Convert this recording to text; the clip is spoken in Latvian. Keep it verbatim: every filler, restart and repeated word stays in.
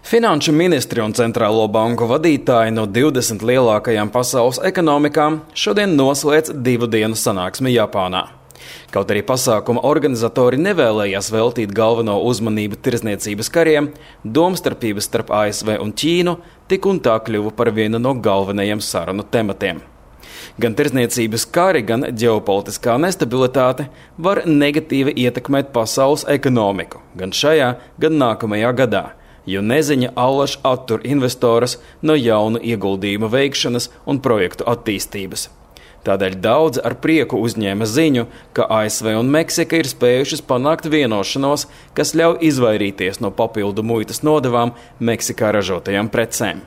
Finanšu ministri un centrālo banku vadītāji no divdesmit lielākajām pasaules ekonomikām šodien noslēdz divu dienu sanāksmi Japānā. Kaut arī pasākuma organizatori nevēlējās veltīt galveno uzmanību tirdzniecības kariem, domstarpības starp A S V un Ķīnu tik un tā kļuva par vienu no galvenajiem sarunu tematiem. Gan tirdzniecības kari, gan ģeopolitiskā nestabilitāte var negatīvi ietekmēt pasaules ekonomiku, gan šajā, gan nākamajā gadā, jo neziņa allaž attur investorus no jaunu ieguldījumu veikšanas un projektu attīstības. Tādēļ daudzi ar prieku uzņēma ziņu, ka A S V un Meksika ir spējušas panākt vienošanos, kas ļauj izvairīties no papildu muitas nodevām Meksikā ražotajām precēm.